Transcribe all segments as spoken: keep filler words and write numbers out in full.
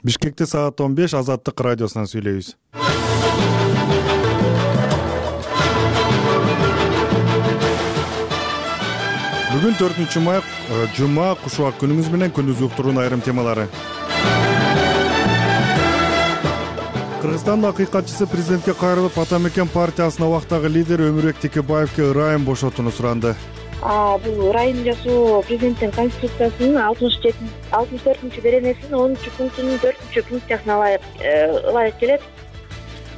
Бишкекте саат он беш Азаттык радиосунан сүйлөйбүз. Бүгүн төртүнчү май, жума, кушубак күнүңүз менен күндүз уктуруунун айрым темалары. Кыргызстандын акыйкатчысы президентке кайрылып, Ата мекен партиясынын убактагы лидери Өмүрбек Текебаевке ырайым бошотууну суранды. Бул ырайым жасоо президенттин конституциясынын алтымыш төртүнчү беренесинин онунчу пунктунун төртүнчү пункциясына ылайык ылайык келет.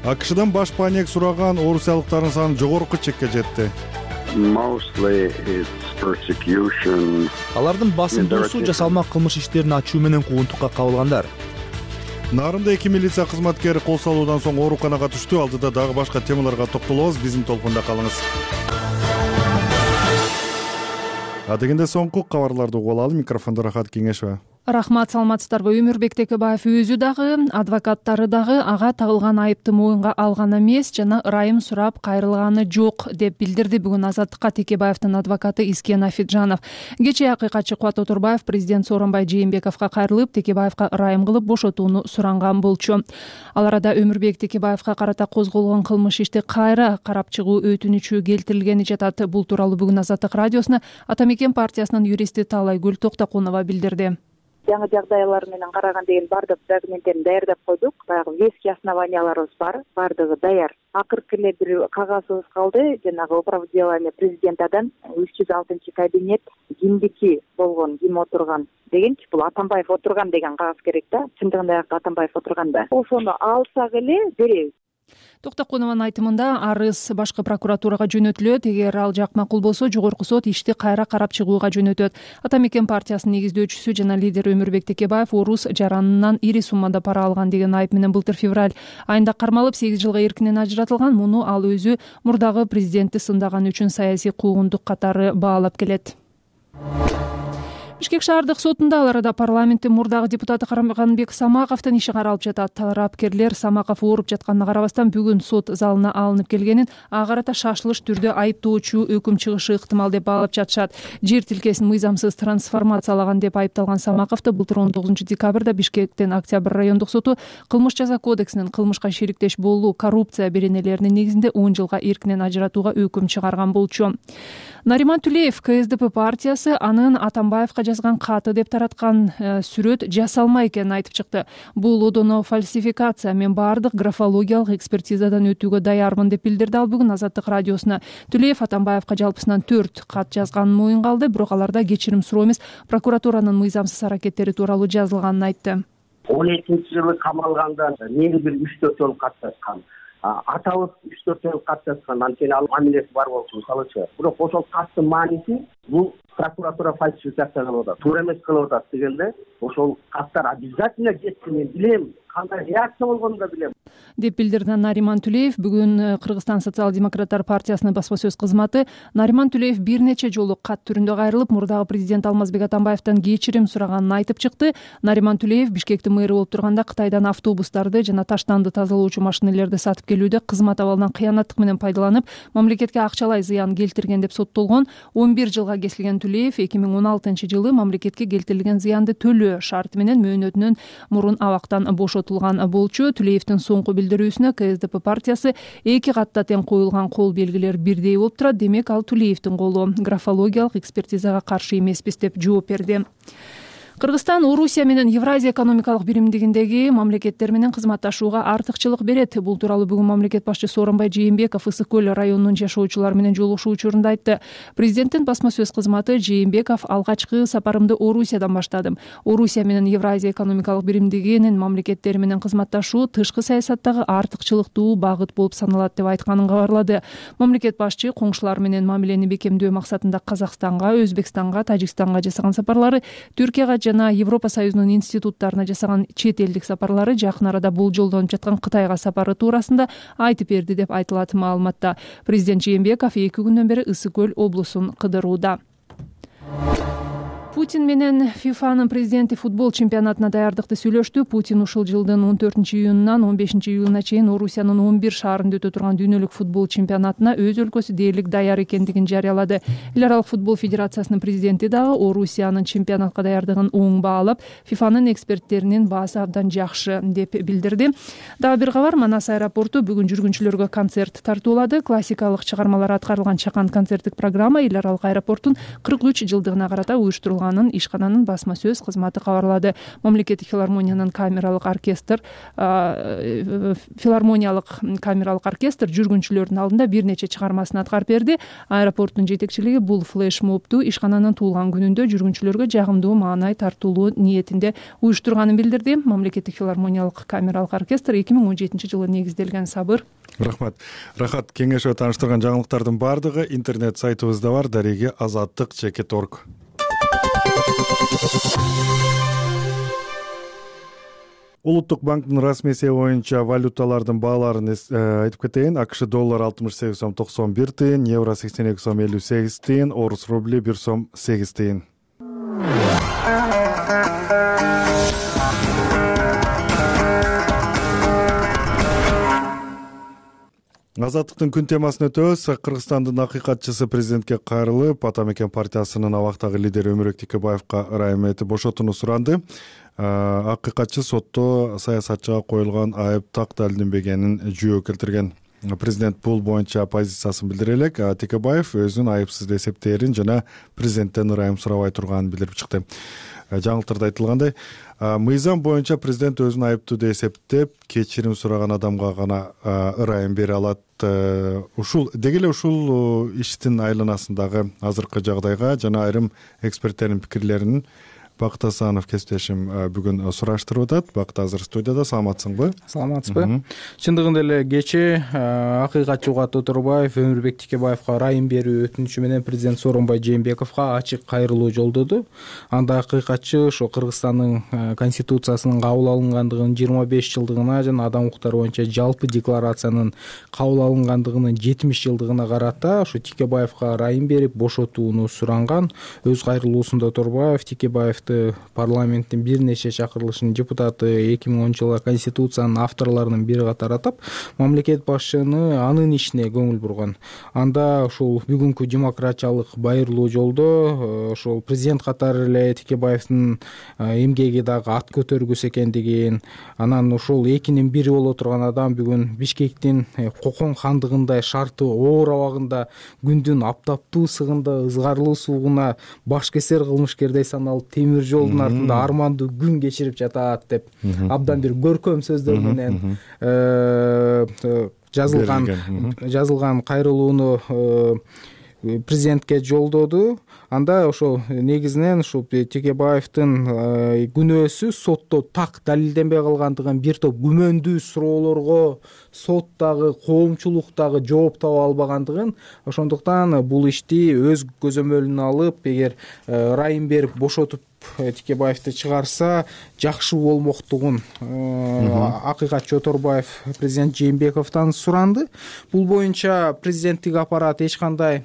АКШдан баш паник сураган орусиялыктардын саны жогорку чекке жетти. Алардын басымдуусу жасалма кылмыш иштерин ачуу менен куугунтукка кабылгандар. Нарында эки милиция кызматкери кол салуудан соң ооруканага түштү. Алдыда дагы башка темаларга токтолобуз. Биздин толкунда калыңыз. Адегенде соңку кабарларды угуп алалы. Микрофондо Рахат Кеңешова. Рахмат, саламатсыздарбы? Өмүрбек Текебаев өзү дагы, адвокаттары дагы ага тагылган айыпты моюнга алган эмес жана ырайым сурап кайрылганы жок деп билдирди бүгүн Азаттыкка Текебаевдин адвокаты Искен Афиджанов. Кечээ акыйкатчы Кубат Отурбаев президент Сооронбай Жээнбековго кайрылып, Текебаевга ырайым кылып бошотууну суранган болчу. Ал арада Өмүрбек Текебаевга карата козголгон кылмыш ишти кайра карап чыгуу өтүнүчү келтирилгени жатат. Бул тууралуу бүгүн Азаттык радиосуна Ата мекен партиясынын юристи Таалайгүл Токтокунова билдирди. Жаңы жагдайлар менен караган деген бардык документтерин даярдап койдук. Баягы веский основанияларыбыз бар, бардыгы даяр. Акыркы эле бир кагазыбыз калды, жанагы управделение президентадан үч жүз алтынчы кабинет кимдики болгон, ким отурган дегенчи, бул Атамбаев отурган деген кагаз керек да. Чындыгында Атамбаев отурган да. Ошону алсак эле беребиз. Токтокунованын айтымында арыз башкы прокуратурага жөнөтүлөт. Эгер ал жак макул болсо, жогорку сот ишти кайра карап чыгууга жөнөтөт. Ата мекен партиясынын негиздөөчүсү жана лидери Өмүрбек Текебаев орус жаранынан ири суммада пара алган деген айып менен былтыр февраль айында кармалып, сегиз жылга эркинен ажыратылган. Муну ал өзү мурдагы президентти сындаганы үчүн саясий куугунтук катары баалап келет. Бишкек шаардык сотунда ал арада парламенттин мурдагы депутаты Карамганбек Самаковдун иши каралып жатат. Тарапкерлер Самаков ооруп жатканына карабастан бүгүн сот залына алынып келгенин, ага карата шашылыш түрдө айыптоочу өкүм чыгышы ыктымал деп баалап жатышат. Жер тилкесин мыйзамсыз трансформациялаган деп айыпталган Самаковду былтыр он тогузунчу декабрда Бишкектин Октябрь райондук соту кылмыш жаза кодексинин кылмышка шериктеш болуу, коррупция беренелеринин негизинде он жылга эркинен ажыратууга өкүм чыгарган болчу. Нариман Түлеев КСДП партиясы анын Атамбаевга жазган каты деп тараткан сүрөт жасалма экенин айтып чыкты. Бул одоно фальсификация, мен баардык графологиялык экспертизадан өтүүгө даярмын деп билдирди ал бүгүн Азаттык радиосуна. Түлеев Атамбаевга жалпысынан төрт кат жазганын моюнга алды, бирок аларда кечирим суроо эмес, прокуратуранын мыйзамсыз аракеттери тууралуу жазылганын айтты. он экинчи жылы камалганда мени бир үч төрт жолу кат жазган. Атабыз үч төрт жолу кат жазган, анткени ал мамилеси бар болчу, мисалычы. Бирок ошол каттын мааниси бул прокуратура фальсификация кылып атат, туура эмес кылып атат дегенде, ошол каттар обязательно жетти, мен билем, кандай реакция болгонун да билем деп билдирди Нариман Түлеев. Бүгүн Кыргызстан социал-демократтар партиясынын басма сөз кызматы Нариман Түлеев бир нече жолу кат түрүндө кайрылып, мурдагы президент Алмазбек Атамбаевден кечирим сураганын айтып чыкты. Нариман Түлеев Бишкектин мэрі болуп турганда Кытайдан автобустарды жана таштанды тазалоочу машинелерди сатып келүүдө кызмат абалынан кыянаттык менен пайдаланып, мамлекетке акчалай зыян келтирген деп соттолгон. он бир жылга кесилген Түлеев эки миң он алтынчы жылы мамлекетке келтирилген зыянды төлөө шарты менен мөөнөтүнөн мурун абактан бошотулган болчу. Түлеевдин соңку билдирүүсүнө КСДП партиясы эки катта тең коюлган кол белгилер бирдей болуп турат. Демек, ал Түлеевдин колу. Графологиялык экспертизага каршы эмеспиз деп жооп берди. Кыргызстан Орусия менен Евразия экономикалык биримдигиндеги мамлекеттер менен кызматташууга артыкчылык берет. Бул тууралуу бүгүн мамлекет башчы Сооронбай Жээнбеков Ысык көл районунун жашоочулары менен жолугушуу учурунда айтты. Президенттин басма сөз кызматы Жээнбеков алгачкы сапарымды Орусиядан баштадым. Орусия менен Евразия экономикалык биримдигинин мамлекеттери менен кызматташуу тышкы саясаттагы артыкчылыктуу багыт болуп саналат деп айтканын кабарлады. Мамлекет башчы коңшулар менен мамилени бекемдөө максатында Казакстанга, Өзбекстанга, Тажикстанга жасаган сапарлары, Түркияга жана Европа Союзунун институттарына жасаган чет элдик сапарлары, жакын арада болжолдонуп жаткан Кытайга сапары туурасында айтып берди деп айтылат маалыматта. Президент Жээнбеков эки күндөн бери Ысык көл облусун кыдырууда. Путин менен ФИФАнын президенти футбол чемпионатына даярдыкты сүйлөштү. Путин ушул жылдын он төртүнчү июнунан он бешинчи июлуна чейин Орусиянын он бир шаарында өтө турган дүйнөлүк футбол чемпионатына өз өлкөсү дээрлик даяр экендигин жарыялады. Эл аралык футбол федерациясынын президенти дагы Орусиянын чемпионатка даярдыгын оң баалап, ФИФАнын эксперттеринин баасы абдан жакшы деп билдирди. Дагы бир кабар, Манас аэропорту бүгүн жүргүнчүлөргө концерт тартуулады. Классикалык чыгармалар аткарылган чакан концерттик программа эл аралык аэропорттун кырк үч жылдыгына карата уюштурулган ишкананын басма сөз кызматы кабарлады. Мамлекеттик филармониянын камералык оркестр филармониялык камералык оркестр жүргүнчүлөрдүн алдында бир нече чыгармасын аткарып берди. Аэропорттун жетекчилиги бул флешмобту ишкананын туулган күнүндө жүргүнчүлөргө жагымдуу маанай тартуулоо ниетинде уюштурганын билдирди. Мамлекеттик филармониялык камералык оркестр эки миң он жетинчи жылы негизделген. Сабыр. Рахмат. Рахат, кеңешип тааныштырган жаңылыктардын баардыгы интернет сайтыбызда бар, дареги азаттык чекит точка орг. Улуттук банктын расмий эсеби боюнча валюталардын бааларын айтып кетейин. АКШ доллар алтымыш сегиз сом токсон бир тыйын, евро сексен эки сом элүү сегиз тыйын, орус рубли бир сом сегиз тыйын. Азаттыктын күн темасын өтөбүз. Кыргызстандын акыйкатчысы президентке кайрылып, Ата мекен партиясынын абактагы лидери Өмүрбек Текебаевка ырайым этип бошотууну суранды. Акыйкатчы сотто саясатчыга коюлган айып так далилденбегенин жүйө келтирген. Президент бул боюнча позициясын билдире элек, Текебаев өзүн айыпсыз деп эсептээрин жана президенттен ырайым сурабай турганын билдирип чыкты. Жаңылыктарда айтылгандай, мыйзам боюнча президент өзүн айыптуу деп эсептеп, кечирим сураган адамга гана ырайым бере алат. Ушул деги эле ушул иштин айланасындагы азыркы жагдайга жана айрым эксперттердин пикирлерин Бакыт Асанов кесиптешим бүгүн сураштырып атат. Бакыт азыр студияда. Саламатсыңбы? Саламатсызбы? Чындыгында эле кечээ акыйкатчы Угат Оторбаев Өмүрбек Текебаевка ырайым берүү өтүнүчү менен президент Сооронбай Жээнбековго ачык кайрылуу жолдоду. Анда акыйкатчы ошо Кыргызстандын конституциясынын кабыл алынгандыгынын жыйырма беш жылдыгына жана адам укуктары боюнча жалпы декларациянын кабыл алынгандыгынын жетимиш жылдыгына карата ошо Текебаевка ырайым берип бошотууну суранган. Өз кайрылуусунда Оторбаев Текебаев парламенттин бир нече чакырылышынын депутаты, эки миң онунчу жылы конституциянын авторлорунун бири катары атап, мамлекет башчыны анын ишине көңүл бурган. Анда ушул бүгүнкү демократиялык байырлуу жолдо ошол президент катары эле Текебаевдин эмгеги дагы ат көтөргүс экендигин, анан ушул экинин бири боло турган адам бүгүн Бишкектин Кокон хандыгындай шарты оор абагында күндүн аптаптуу ысыгында ызгарлуу суугуна баш кесер кылмышкердей саналып темир жолдун артында армандуу күн кечирип жатат деп абдан бир көркөм сөздөр менен жазылган жазылган кайрылууну президентке жолдоду. Анда ошо негизинен ушул Текебаевдин күнөөсү сотто так далилденбей калгандыгын, бир топ күмөндүү суроолорго соттагы, коомчулуктагы жооп таба албагандыгын, ошондуктан бул ишти өз көзөмөлүнө алып, эгер ырайым берип бошотуп Текебаевди чыгарса жакшы болмоктугун акыйкатчы Оторбаев президент Жээнбековдон суранды. Бул боюнча президенттик аппарат эч кандай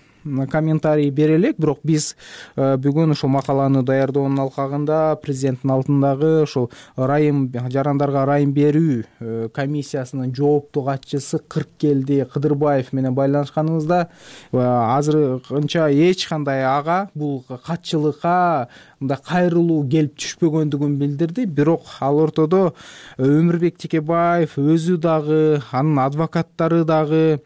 комментарий бере элек, бирок биз бүгүн ошол макаланы даярдоонун алкагында президенттин алдындагы ошол ырайым жарандарга ырайым берүү комиссиясынын жооптуу катчысы Кырккелди Кыдырбаев менен байланышканыбызда азырынча эч кандай ага бул катчылыкка мындай кайрылуу келип түшпөгөндүгүн билдирди. Бирок ал ортодо Өмүрбек Текебаев өзү дагы, анын адвокаттары дагы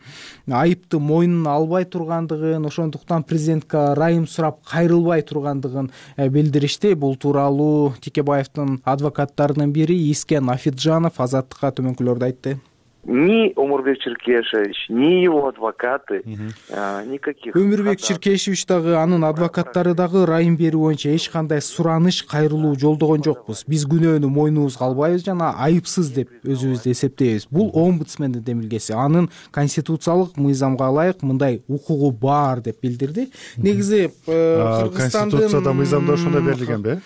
айыпты мойнуна албай тургандыгын, ошондуктан президентке ырайым сурап кайрылбай тургандыгын билдиришти. Бул тууралуу Текебаевдин адвокаттарынын бири Искен Афиджанов Азаттыкка төмөнкүлөрдү айтты. Ни Омурбек Черкешевич, ни его адвокаты, никаких. Өмүрбек Черкешевич дагы, анын адвокаттары дагы ырайым берүү боюнча эч кандай сураныш, кайрылуу жолдогон жокпуз. Биз күнөөнү мойнубузга албайбыз жана айыпсыз деп өзүбүздү эсептейбиз. Бул омбудсмендин демилгеси. Анын конституциялык мыйзамга ылайык мындай укугу бар деп билдирди. Негизи Кыргызстандын конституцияда мыйзамда ошондой берилгенби?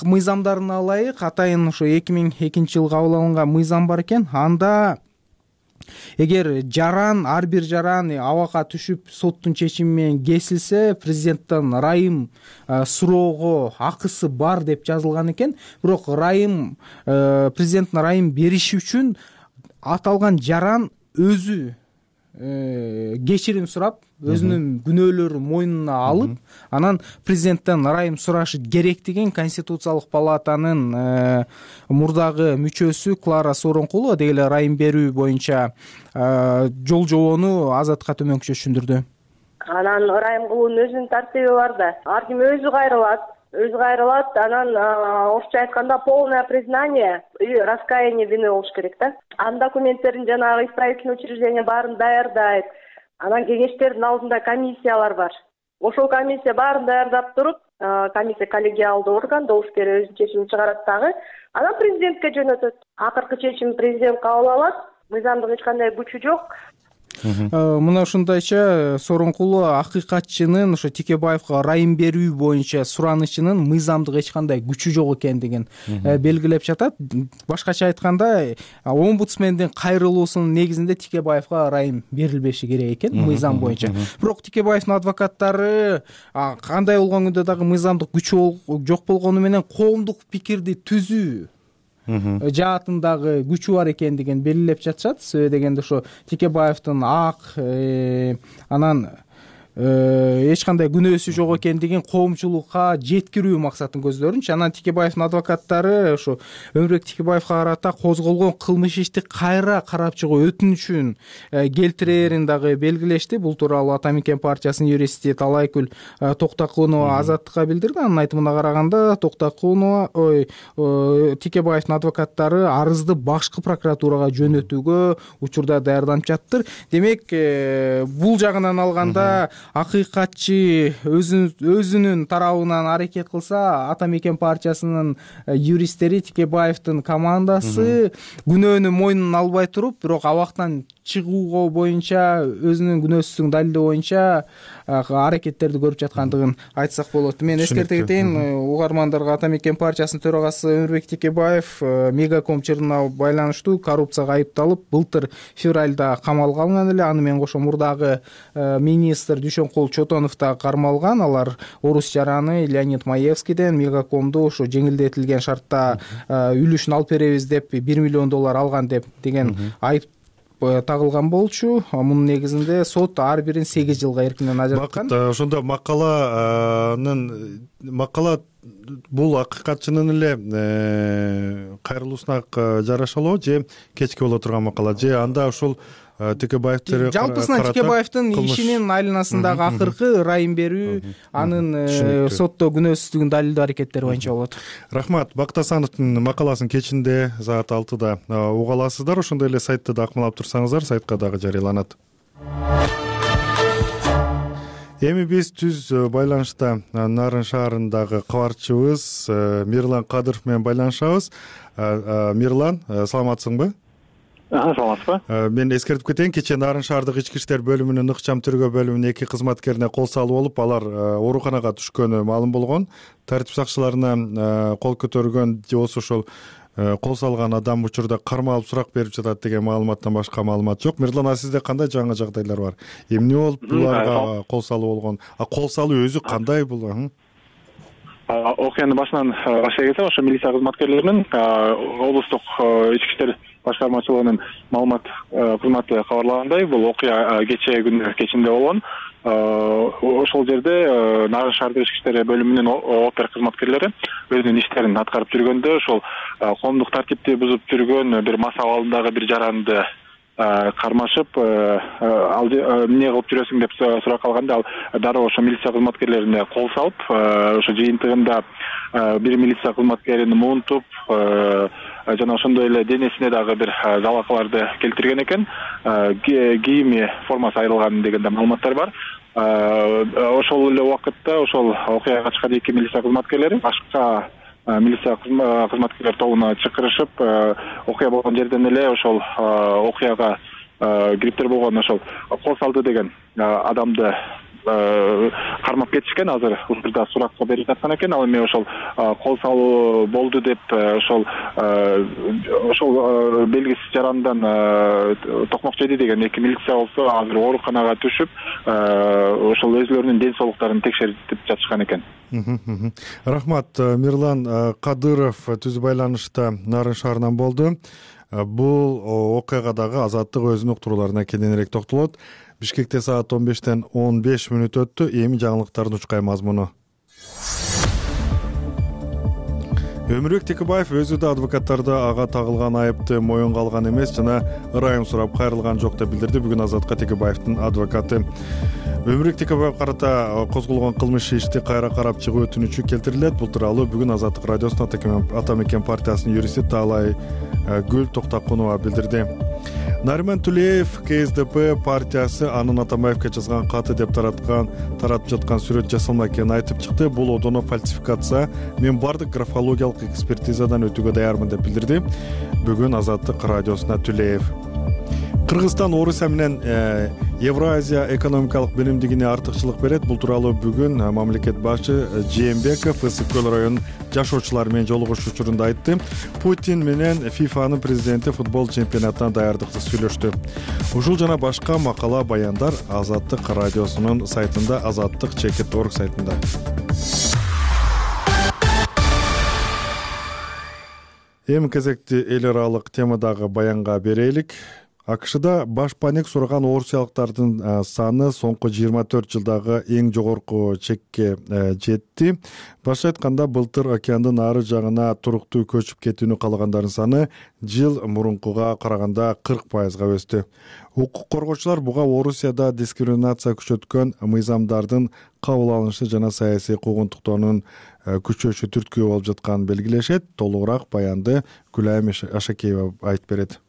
Мыйзамдарына ылайык атайын ошо эки миң экинчи жылы кабыл алынган мыйзам бар экен. Анда Эгер жаран ар бир жаран абакка түшүп соттун чечими менен кесилсе, президенттен ырайым суроого акысы бар деп жазылган экен. Бирок ырайым президенттин ырайым бериши үчүн аталган жаран өзү кечирим сурап, өзүнүн күнөөлөрүн мойнуна алып, анан президенттен ырайым сурашы керек деген Конституциялык палатанын мурдагы мүчөсү Клара Сооронкулова деги эле ырайым берүү боюнча жол жобону Азаттыкка төмөнкүчө түшүндүрдү. Анан ырайым кылуунун өзүнүн тартиби бар да. Ар ким өзү кайрылат. өзү кайрылат, анан орусча айтканда полное признание и раскаяние вины болуш керек да. Анын документтерин жанагы исправительный учреждение баарын даярдайт. Анан кеңештердин алдында комиссиялар бар. Ошол комиссия баарын даярдап туруп, комиссия коллегиалдуу орган, добуш берип өзүнүн чечимин чыгарат дагы. Анан президентке жөнөтөт. Акыркы чечимин президент кабыл алат. Мыйзамдык эч кандай күчү жок. Мына ушундайча Сооронкулова акыйкатчынын ошо Текебаевга ырайым берүү боюнча суранычынын мыйзамдык эч кандай күчү жок экендигин белгилеп жатат. Башкача айтканда, омбудсмендин кайрылуусунун негизинде Текебаевга ырайым берилбеши керек экен мыйзам боюнча. Бирок Текебаевдин адвокаттары кандай болгон күндө дагы мыйзамдык күчү жок болгону менен коомдук пикирди түзүү жаатындагы күчү бар экендигин белгилеп жатышат. Себеби дегенде ошо Текебаевдин ак анан эч кандай күнөөсү жок экендигин коомчулукка жеткирүү максатын көздөрүнчү. Анан Текебаевдин адвокаттары ошо Өмүрбек Текебаевга карата козголгон кылмыш ишти кайра карап чыгуу өтүнүчүн келтирээрин дагы белгилешти. Бул тууралуу Ата Мекен партиясынын юристи Талайкүл Токтокунова Азаттыкка билдирди. Анын айтымына караганда, Токтокунова ой Текебаевдин адвокаттары арызды башкы прокуратурага жөнөтүүгө учурда даярданып жаттыр. Демек, бул жагынан алганда акыйкатчы өзүнүн тарабынан аракет кылса, Ата Мекен партиясынын юристтери, Текебаевдин командасы күнөөнү мойнуна албай туруп, бирок абактан чыгууга боюнча, өзүнүн күнөөсүздүгүн далилдөө боюнча аракеттерди көрүп жаткандыгын айтсак болот. Мен эскерте кетейин, угармандарга Ата Мекен партиясынын төрагасы Өмүрбек Текебаев Мегаком чырына байланыштуу коррупцияга айыпталып, былтыр февралда камалга алынган эле. Аны менен кошо мурдагы министр Дүйшөнкул Чотонов да кармалган. Алар орус жараны Леонид Маевскийден Мегакомду ошо жеңилдетилген шартта үлүшүн алып беребиз деп бир миллион доллар алган деп деген айып тагылган болчу. Мунун негизинде сот ар бирин сегиз жылга эркинен ажыраткан. Ошондо макаланын макала бул акыйкатчынын эле кайрылуусуна жарашалуу же кечки боло турган макала, же анда ошол Текебаевдер жалпысынан Текебаевдин ишинин айланасындагы акыркы ырайым берүү, анын сотто күнөөсүздүгүн далилдөө аракеттери боюнча болот. Рахмат. Бакыт Асановдун макаласын кечинде саат алтыда уга аласыздар. Ошондой эле сайтты да акмалап турсаңыздар, сайтка дагы жарыяланат. Эми биз түз байланышта Нарын шаарындагы кабарчыбыз Мирлан Кадыров менен байланышабыз. Мирлан, саламатсыңбы? Саламатсызбы? Мен эскертип кетейин, кечээ Нарын шаардык ички иштер бөлүмүнүн ыкчам тергөө бөлүмүнүн эки кызматкерине кол салуу болуп, алар ооруканага түшкөнү маалым болгон. Тартип сакчыларына кол көтөргөн же болсо ошол кол салган адам учурда кармалып сурак берип жатат деген маалыматтан башка маалымат жок. Мирлан, сизде кандай жаңы жагдайлар бар? Эмне болуп буларга кол салуу болгон? А кол салуу өзү кандай бул? Окуянын башынан башлай кетсем, ошо милиция кызматкерлеринин облустук ички иштер башкармачылыгынын маалымат кызматы кабарлагандай, бул окуя кечээ күнү кечинде болгон. Ошол жерде Нарын шаардык ички иштер бөлүмүнүн опер кызматкерлери өзүнүн иштерин аткарып жүргөндө ошол коомдук тартипти бузуп жүргөн бир мас абалындагы бир жаранды кармашып, ал эмне кылып жүрөсүң деп сурак алганда, ал дароо ошо милиция кызматкерлерине кол салып, ошо жыйынтыгында бир милиция кызматкерин муунтуп, жана ошондой эле денесине дагы бир жалакаларды келтирген экен. Кийими формасы айрылган деген да маалыматтар бар. Ошол эле убакытта ошол окуяга чыккан эки милиция кызматкерлери башка милиция кызматкерлер тобуна чакырышып, окуя болгон жерден эле ошол окуяга кириптер болгон ошол кол салды деген адамды кармап кетишкен. Азыр учурда суракка берип жаткан экен. Ал эми ошол кол салуу болду деп ошол ошол белгисиз жарандан токмок жеди деген эки милиция болсо азыр ооруканага түшүп ошол өзүлөрүнүн ден соолуктарын текшертип жатышкан экен. Рахмат. Мирлан Кадыров түз байланышта Нарын шаарынан болду. Бул окуяга дагы Азаттык өзүнүн уктурууларына кененирээк токтолот. Бишкекте саат он бештен он беш мүнөт өттү. Эми жаңылыктардын учкай мазмуну. Өмүрбек Текебаев өзү да адвокаттарды ага тагылган айыпты моюнга алган эмес жана ырайым сурап кайрылган жок деп билдирди бүгүн Азатка Текебаевдин адвокаты. Өмүрбек Текебаев карата козголгон кылмыш ишти кайра карап чыгуу өтүнүчү келтирилет. Бул тууралуу бүгүн Азаттык радиосунун Ата мекен партиясынын юристи Таалай Гүл Токтокунова билдирди. Нариман Тулеев КСДП партиясы анын Атамбаевге жазган каты деп тараткан таратып жаткан сүрөт жасалма экенин айтып чыкты. Бул одоно фальсификация. Мен бардык графологиялык экспертизадан өтүүгө даярмын деп билдирди бүгүн Азаттык радиосуна Тулеев. Кыргызстан Орусия менен Евразия экономикалык биримдигине артыкчылык берет. Бул тууралуу бүгүн мамлекет башы Жээнбеков Ысык көл районунун жашоочулары менен жолугушуу учурунда айтты. Путин менен ФИФАнын президенти футбол чемпионатына даярдыкты сүйлөштү. Ушул жана башка макала баяндар Азаттык радиосунун сайтында, азаттык чекит точка орг сайтында. Эми кезекти эл аралык темадагы баянга берелик. АКШда баш паник сураган орусиялыктардын саны соңку жыйырма төрт жылдагы эң жогорку чекке жетти. Башка айтканда, былтыр океандын ары жагына туруктуу көчүп кетүүнү каалагандардын саны жыл мурункуга караганда кырк пайызга өстү. Укук коргоочулар буга Орусияда дискриминация күчөткөн мыйзамдардын кабыл алынышы жана саясий куугунтуктоонун күчөшү түрткү болуп жатканын белгилешет. Толугураак баянды Гүлайым Ашакеева айтып берет.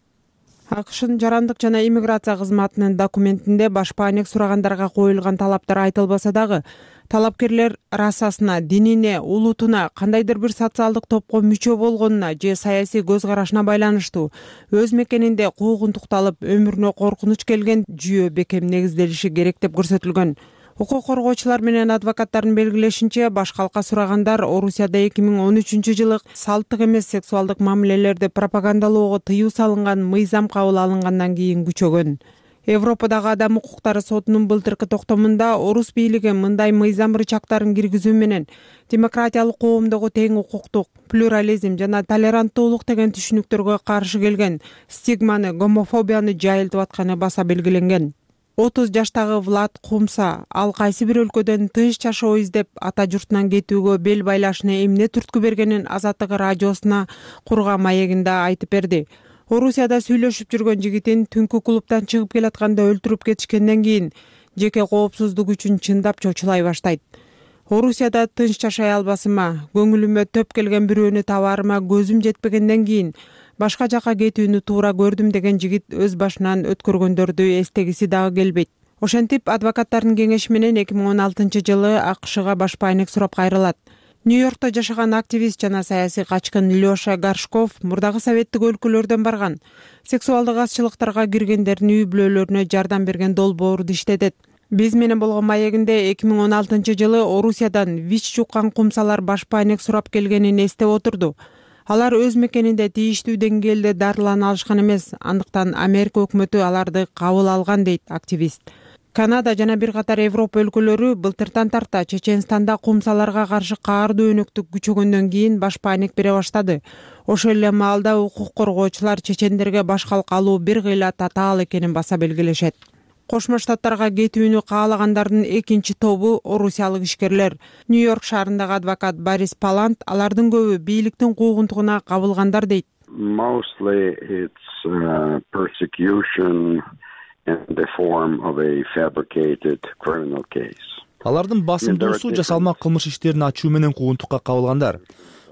АКШнын жарандык жана иммиграция кызматынын документинде баш паник сурагандарга коюлган талаптар айтылбаса дагы, талапкерлер расасына, динине, улутуна, кандайдыр бир социалдык топко мүчө болгонуна же саясий көз карашына байланыштуу өз мекенинде куугунтукталып, өмүрүнө коркунуч келген жүйө бекем негизделиши керек деп көрсөтүлгөн. Укук коргоочулар менен адвокаттардын белгилешинче, баш калка сурагандар Орусияда эки миң он үчүнчү жылы салттык эмес сексуалдык мамилелерди пропагандалоого тыюу салынган мыйзам кабыл алынгандан кийин күчөгөн. Европадагы адам укуктары сотунун былтыркы токтомунда орус бийлиги мындай мыйзам рычагдарын киргизүү менен демократиялык коомдогу тең укуктук, плюрализм жана толеранттуулук деген түшүнүктөргө каршы келген стигманы, гомофобияны жайылтып атканы баса белгиленген. отуз жаштагы Влад Кумса ал кайсы бир өлкөдөн тынч жашоо издеп ата журтунан кетүүгө бел байлашына эмне түрткү бергенин Азаттык радиосуна курган маегинде айтып берди. Орусияда сүйлөшүп жүргөн жигитин түнкү клубдан чыгып келатканда өлтүрүп кетишкенден кийин жеке коопсуздук үчүн чындап чочулай баштайт. Орусияда тынч жашай албасыма, көңүлүмө төп келген бирөөнү табарыма көзүм жетпегенден кийин башка жака кетүүнү туура көрдүм деген жигит өз башынан өткөргөндөрдү эстегиси дагы келбейт. Ошентип, адвокаттардын кеңеши менен эки миң он алтынчы жылы АКШга баш паник сурап кайрылат. Нью-Йоркто жашаган активист жана саясий качкын Лёша Горшков мурдагы советтик өлкөлөрдөн барган. Сексуалдык азчылыктарга киргендердин үй бүлөлөрүнө жардам берген долбоорду иштетет. Биз менен болгон маегинде эки миң он алтынчы жылы Орусиядан ВИЧ жуккан кумсалар баш паник сурап келгенин эстеп отурду. Алар өз мекенинде тийиштүү деңгээлде дарылана алышкан эмес, андыктан Америка өкмөтү аларды кабыл алган дейт активист. Канада жана бир катар Европа өлкөлөрү былтыртан тарта Чеченстанда кумсаларга каршы каардуу өнөктүк күчөгөндөн кийин баш паник бере баштады. Ошол эле маалда укук коргоочулар чечендерге баш калка алуу бир кыйла татаал экенин баса белгилешет. Кошмо Штаттарга кетүүнү каалагандардын экинчи тобу орусиялык ишкерлер. Нью-Йорк шаарындагы адвокат Борис Палант алардын көбү бийликтин куугунтугуна кабылгандар дейт. Mostly it's uh, persecution in the form of a fabricated criminal case. Алардын басымдуусу жасалма кылмыш иштерин ачуу менен куугунтукка кабылгандар.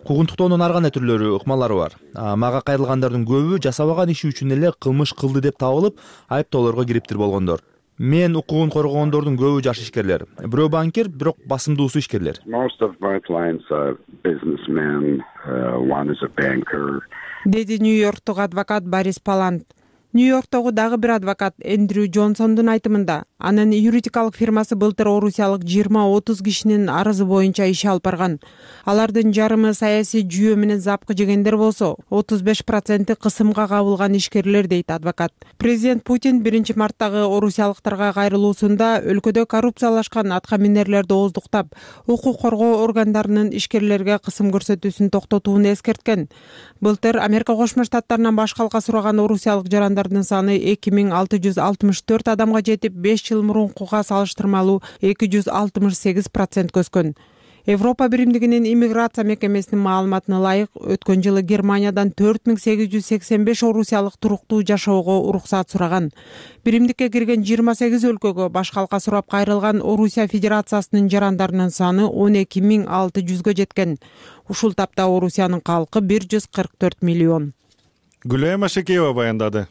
Куугунтуктоонун ар кандай түрлөрү, ыкмалары бар. Мага кайрылгандардын көбү жасабаган иши үчүн эле кылмыш кылды деп табылып, айыптоолорго кириптир болгондор. Мен укугун коргогондордун көбү жаш ишкерлер. Бирөө банкир, бирок басымдуусу ишкерлер. Most of my clients are businessmen, uh, one is a banker. Деди Нью-Йорктогу адвокат Борис Палант. Нью-Йорктогу дагы бир адвокат Эндрю Джонсондун айтымында, Анын юридикалык фирмасы былтыр орусиялык жыйырма отуз кишинин арызы боюнча иш алып барган. Алардын жарымы саясий жүйө менен запкы жегендер болсо, отуз беш проценти кысымга кабылган ишкерлер, дейт адвокат. Президент Путин биринчи марттагы орусиялыктарга кайрылуусунда өлкөдө коррупциялашкан аткаминерлерди ооздуктап, укук коргоо органдарынын ишкерлерге кысым көрсөтүүсүн токтотууну эскерткен. Былтыр Америка Кошмо Штаттарынан баш калка сураган орусиялык жарандардын саны эки миң алты жүз алтымыш төрт адамга жетип, беш жыл мурункуга салыштырмалуу эки жүз алтымыш сегиз процентке өскөн. Европа биримдигинин иммиграция мекемесинин маалыматына ылайык, өткөн жылы Германиядан төрт миң сегиз жүз сексен беш орусиялык туруктуу жашоого уруксаат сураган. Биримдикке кирген жыйырма сегиз өлкөгө баш калка сурап кайрылган Орусия Федерациясынын жарандарынын саны он эки миң алты жүзгө жеткен. Ушул тапта Орусиянын калкы бир жүз кырк төрт миллион. Гүлайым Ашекеева баяндады.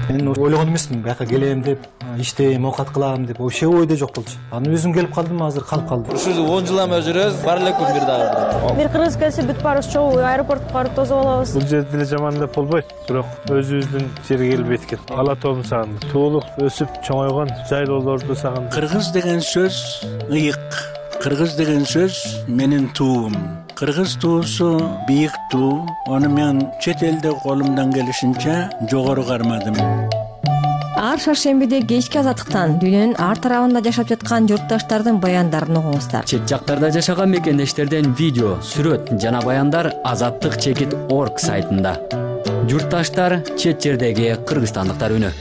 Мен ойлогон эмесмин, бияка келем деп, иштейм, оокат кылам деп, вообще ойдо жок болчу. Анан өзүм келип калдым, азыр калып калдым. Ушул он жылдан бери жүрөбүз, бар эле күн бир дагы. Бир кыргыз келсе бүт барыбыз чогуу аэропортко барып тосуп алабыз. Бул жерде деле жаман деп болбойт, бирок өзүбүздүн жерге келип эткен. Ала тоом сагындым. Туулук, өсүп, чоңойгон жайлоолорду сагындым. Кыргыз деген сөз ыйык. Кыргыз деген сөз менин туум. Кыргыз туусу бийик туу. Аны мен чет элде колумдан келишинче жогору кармадым. Ар шаршембиде кечки азаттыктан дүйнөнүн ар тарабында жашап жаткан журтташтардын баяндарын угуңуздар. Чет жактарда жашаган мекендештерден видео, сүрөт жана баяндар азаттык чекит орг сайтында. Журтташтар, чет жердеги кыргызстандыктар үнү.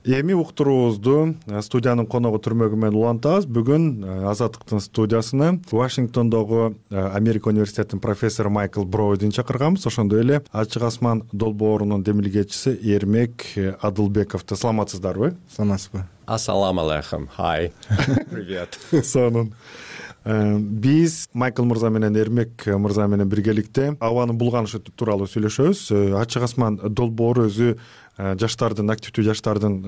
Эми уктуруубузду студиянын коногу түрмөгү менен улантабыз. Бүгүн Азаттыктын студиясына Вашингтондогу Америка университетинин профессору Майкл Бройдун чакырганбыз. Ошондой эле Ачык Асман долбоорунун демилгечиси Эрмек Адылбековду. Саламатсыздарбы? Саламатсызбы? Ассаламу алейкум. Хай. Привет. Сонун. Биз Майкл мырза менен Эрмек мырза менен биргеликте абанын булганышы тууралуу сүйлөшөбүз. Ачык Асман долбоору өзү жаштардын, активдүү жаштардын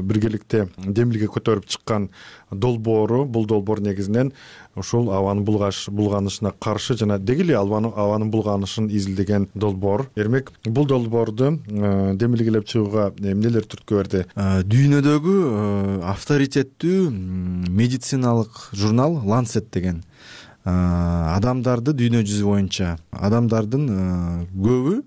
биргеликте демилге көтөрүп чыккан долбоору. Бул долбоор негизинен ушул абанын булганышына каршы жана деги эле абанын булганышын изилдеген долбоор. Эрмек, бул долбоорду демилгелеп чыгууга эмнелер түрткү берди? Дүйнөдөгү авторитеттүү медициналык журнал Lancet деген адамдарды дүйнө жүзү боюнча адамдардын көбү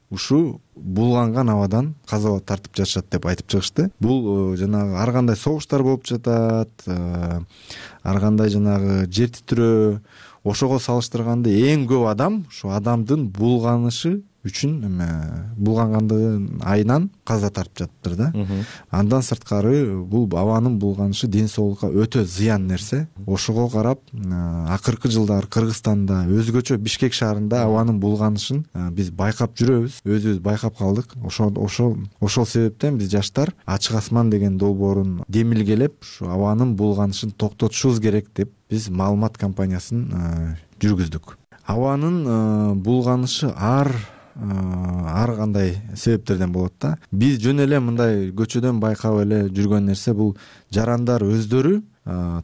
ушу булганган абадан каза тартып жатышат деп айтып чыгышты. Бул жанагы ар кандай согуштар болуп жатат, ар кандай жанагы жер титирөө, ошого салыштырганда эң көп адам ушу адамдын булганышы үчүн эме булгангандыгын айынан каза тартып жатыптыр да. Андан сырткары бул абанын булганышы ден соолукка өтө зыян нерсе. Ошого карап акыркы жылдары Кыргызстанда, өзгөчө Бишкек шаарында абанын булганышын биз байкап жүрөбүз, өзүбүз байкап калдык. Ошол ошол ошол себептен биз жаштар Ачык Асман деген долбоорун демилгелеп, ушу абанын булганышын токтотушубуз керек деп биз маалымат кампаниясын жүргүздүк. Абанын булганышы ар ар кандай себептерден болот да. Биз жөн эле мындай көчөдөн байкап эле жүргөн нерсе бул жарандар өздөрү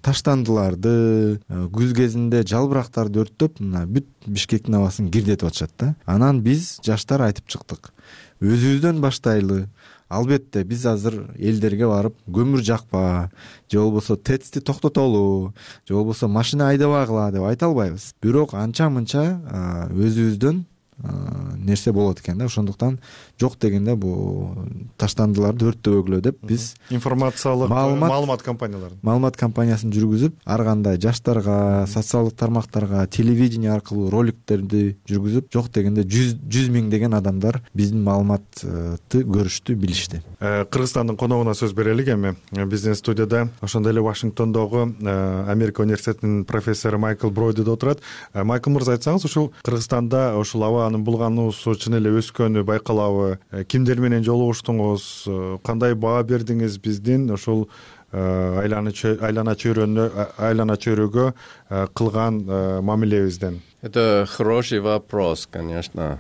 таштандыларды, күз кезинде жалбырактарды өрттөп, мына бүт Бишкектин абасын кирдетип атышат да. Анан биз жаштар айтып чыктык. Өзүбүздөн баштайлы. Албетте биз азыр элдерге барып көмүр жакпа, же болбосо ТЭЦти токтотолу, же болбосо машина айдабагыла деп айта албайбыз. Бирок анча мынча өзүбүздөн нерсе болот экен да. Ошондуктан жок дегенде бул таштандыларды өрттөбөгүлө деп биз информациялык маалымат кампанияларын маалымат кампаниясын жүргүзүп, ар кандай жаштарга, социалдык тармактарга, телевидение аркылуу роликтерди жүргүзүп, жок дегенде жүз миңдеген адамдар биздин маалыматты көрүштү, билишти. Кыргызстандын коногуна сөз берелик эми. Биздин студияда ошондой эле Вашингтондогу Америка университетинин профессору Майкл Бройд отурат. Майкл мырза, айтсаңыз, ушул Кыргызстанда ушул абанын булгануусу чын эле өскөнү байкалабы? Кимдер менен жолугуштуңуз? Кандай баа бердиңиз биздин ушул айлана чөйрөнү айлана чөйрөгө кылган мамилебизден? Это хороший вопрос, конечно.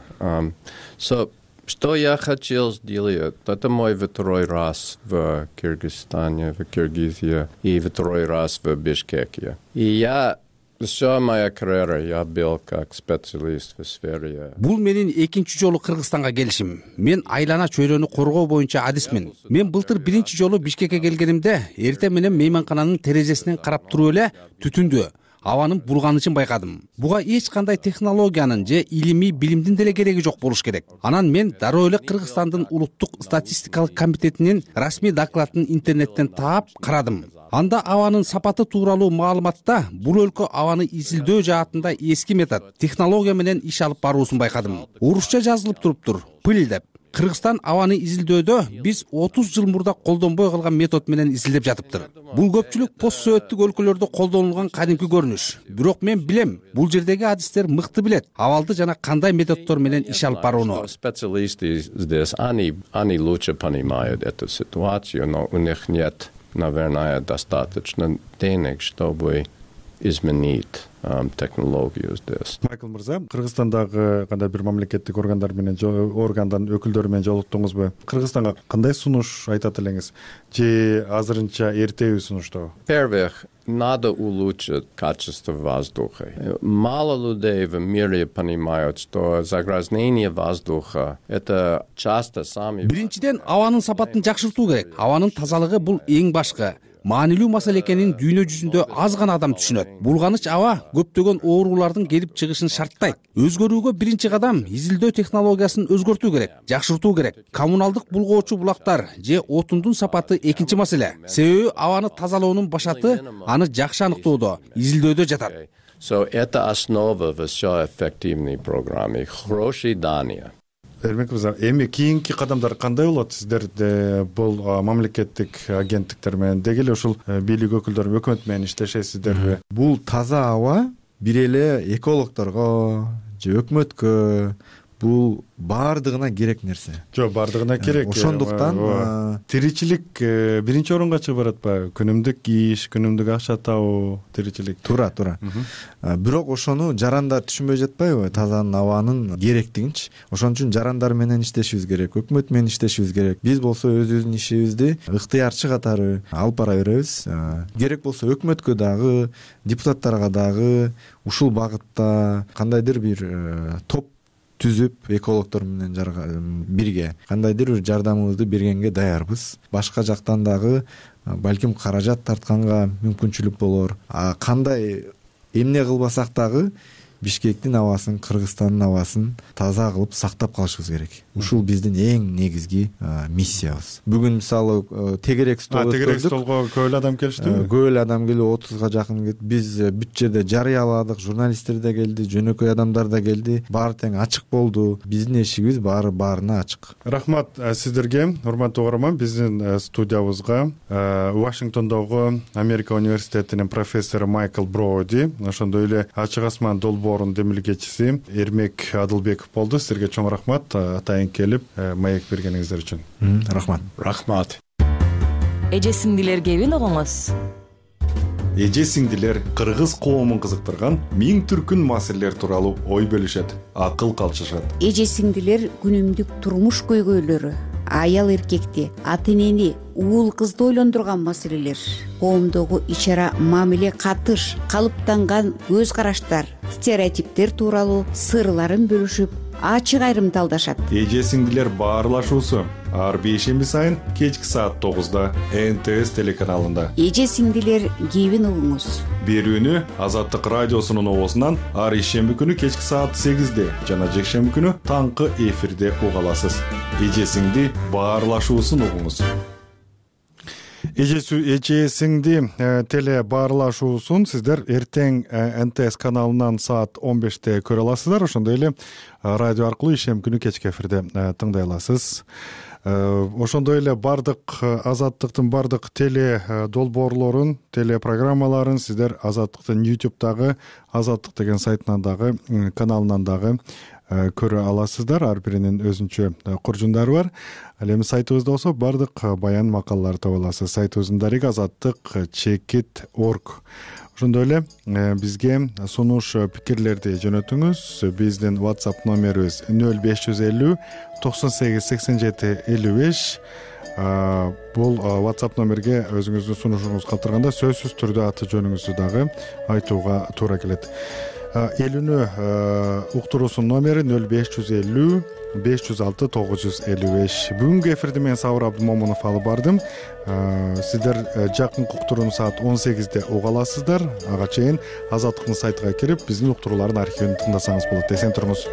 So, что я хотел сделать? Это мой второй раз в Кыргызстане, в Киргизии и второй раз в Бишкеке. И я Вся моя карьера я был как специалист в сфере. Бул менин экинчи жолу Кыргызстанга келишим. Мен айлана чөйрөнү коргоо боюнча адисмин. Мен былтыр биринчи жолу Бишкекке келгенимде эртең менен мейманкананын терезесинен карап туруп эле түтүндү, абанын булганышын байкадым. Буга эч кандай технологиянын же илимий билимдин деле кереги жок болуш керек. Анан мен дароо эле Кыргызстандын улуттук статистикалык комитетинин расмий докладын интернеттен таап карадым. Анда абанын сапаты тууралуу маалыматта бул өлкө абаны изилдөө жаатында эски метод, технология менен иш алып баруусун байкадым. Орусча жазылып туруптур, пыл деп. Кыргызстан абаны изилдөөдө биз отуз жыл мурда колдонбой калган метод менен изилдеп жатыптыр. Бул көпчүлүк пост советтик өлкөлөрдө колдонулган кадимки көрүнүш. Бирок мен билем, бул жердеги адистер мыкты билет абалды жана кандай методдор менен иш алып барууну. Специалисты здесь, они они лучше понимают эту ситуацию, но у них нет, наверное, достаточно денег, чтобы изменить um, технологию здесь. Майкл мырза, Кыргызстандагы кандай бир мамлекеттик органдар менен органдын өкүлдөрү менен жолуктуңузбу? Кыргызстанга кандай сунуш айтат элеңиз? Же азырынча эртеби сунуштабы? Во-первых, надо улучшить качество воздуха. Мало людей в мире понимают, что загрязнение воздуха — это часто сами... Биринчиден, абанын сапатын жакшыртуу керек. Абанын тазалыгы бул эң башкы. Маанилүү маселе экенин дүйнө жүзүндө аз гана адам түшүнөт. Булганыч аба көптөгөн оорулардын келип чыгышын шарттайт. Өзгөрүүгө биринчи кадам изилдөө технологиясын өзгөртүү керек, жакшыртуу керек. Коммуналдык булгоочу булактар же отундун сапаты экинчи маселе. Себеби абаны тазалоонун башаты аны жакшы аныктоодо, изилдөөдө жатат. So это основа всей эффективной программы. Хорошие данные. Эрмек мырза, эми кийинки кадамдар кандай болот? Сиздер бул мамлекеттик агенттиктер менен деги эле ушул бийлик өкүлдөрү өкмөт менен иштешесиздерби? Бул таза аба бир эле экологдорго же өкмөткө бул баардыгына керек нерсе. Жок, баардыгына керек. Ошондуктан тиричилик биринчи орунга чыгып баратпайбы? Күнүмдүк иш, күнүмдүк акча табуу, тиричилик. Туура, туура. Бирок ошону жарандар түшүнбөй жатпайбы? Тазанын абанын керектигинчи. Ошон үчүн жарандар менен иштешибиз керек, өкмөт менен иштешибиз керек. Биз болсо өзүбүздүн ишибизди ыктыярчы катары алып бара беребиз. Керек болсо өкмөткө дагы, депутаттарга дагы ушул багытта кандайдыр бир топ түзүп, экологдор менен бирге кандайдыр бир жардамыбызды бергенге даярбыз. Башка жактан дагы балким каражат тартканга мүмкүнчүлүк болор. А кандай эмне кылбасак дагы Бишкектин абасын, Кыргызстандын абасын таза кылып сактап калышыбыз керек. Ушул биздин эң негизги миссиябыз. Бүгүн мисалы тегерек стол өткөрдүк. Тегерек столго көп эле адам келиштиби? Көп эле адам келип, отузга жакын келди. Биз бүт жерде жарыяладык, журналисттер да келди, жөнөкөй адамдар да келди. Баары тең ачык болду. Биздин эшигибиз баары баарына ачык. Рахмат сиздерге, урматтуу угарман. Биздин студиябызга Вашингтондогу Америка университетинин профессору Майкл Броуди, ошондой эле Ачык асман долбоорунун демилгечиси Эрмек Адылбеков болду. Силерге чоң рахмат атайын келип маек бергениңиздер үчүн. Рахмат. Рахмат. Эже сиңдилер кебин угуңуз. Эже сиңдилер кыргыз коомун кызыктырган миң түркүн маселелер тууралуу ой бөлүшөт, акыл калчышат. Эже сиңдилер күнүмдүк турмуш көйгөйлөрү, аял эркекти, ата энени, уул кызды ойлондурган маселелер, коомдогу ич-ара мамиле катыш, калыптанган көз караштар, стереотиптер тууралуу сырларын бөлүшүп, ачык айрымдалдашат. Эже сиңдилер баарлашуусу ар бейшемби сайын кечки саат тогузда Эн Тэ Эс телеканалында. Эже сиңдилер кебин угуңуз. Берүүнү Азаттык радиосунун оозунан ар ишемби күнү кечки саат сегизде жана жекшемби күнү таңкы эфирде уга аласыз. Эже сиңди баарлашуусун угуңуз. Эже сиңди теле баарлашуусун сиздер эртең Эн Тэ Эс каналынан саат он беште көрө аласыздар. Ошондой эле радио аркылуу ишемби күнү кечки эфирде тыңдай аласыз. Ошондой эле бардык Азаттыктын бардык теле долбоорлорун, теле программаларын сиздер Азаттыктын ютубтагы Азаттык деген сайтынан дагы, каналынан дагы көрө аласыздар. Ар биринин өзүнчө куржундары бар. Ал эми сайтыбызда болсо бардык баян макалаларды таба аласыз. Сайтыбыздын дареги азаттык чекит точка орг. Ошондой эле бизге сунуш пикирлерди жөнөтүңүз. Биздин WhatsApp номерибиз нөл беш жүз элүү токсон сегиз сексен жети элүү беш. бул WhatsApp номерге өзүңүздүн сунушуңузду калтырганда сөзсүз түрдө аты жөнүңүздү дагы айтууга туура келет. Эл үнү уктуруусунун номери нөл беш жүз элүү беш жүз алты тогуз жүз элүү беш. Бүгүнкү эфирди мен Сабыр Абдымомунов алып бардым. Сиздер жакынкы уктурууну саат он сегизде уга аласыздар. Ага чейин Азаттыктын сайтына кирип биздин уктуруулардын архивин тыңдасаңыз болот. Эсен туруңуз.